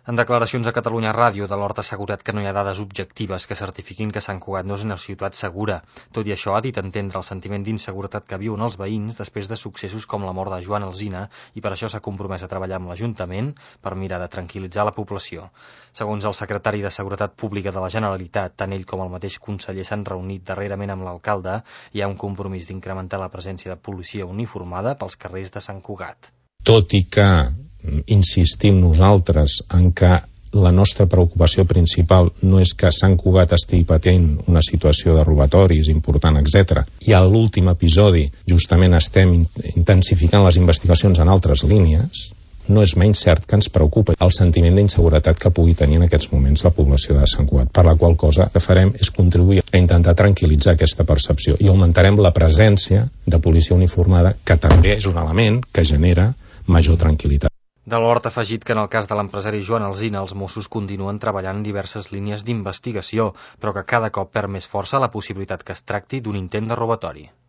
En declaracions a Catalunya Ràdio, de l'Hort ha assegurat que no hi ha dades objectives que certifiquin que Sant Cugat no és una ciutat segura. Tot i això, ha dit entendre el sentiment d'inseguretat que viuen els veïns després de successos com la mort de Joan Alsina i per això s'ha compromès a treballar amb l'Ajuntament per mirar de tranquil·litzar la població. Segons el secretari de Seguretat Pública de la Generalitat, tant ell com el mateix conseller s'han reunit darrerament amb l'alcalde i hi ha un compromís d'incrementar la presència de policia uniformada pels carrers de Sant Cugat. Tot i que insistim nosaltres en que la nostra preocupació principal no és que Sant Cugat estigui patint una situació de robatoris important, etc. I a l'últim episodi justament estem intensificant les investigacions en altres línies, no és menys cert que ens preocupa el sentiment d'inseguretat que pugui tenir en aquests moments la població de Sant Cugat, per la qual cosa que farem és contribuir a intentar tranquil·litzar aquesta percepció i augmentarem la presència de policia uniformada, que també és un element que genera major tranquil·litat. De l'Hort ha afegit que en el cas de l'empresari Joan Alsina els Mossos continuen treballant en diverses línies d'investigació, però que cada cop perd més força la possibilitat que es tracti d'un intent de robatori.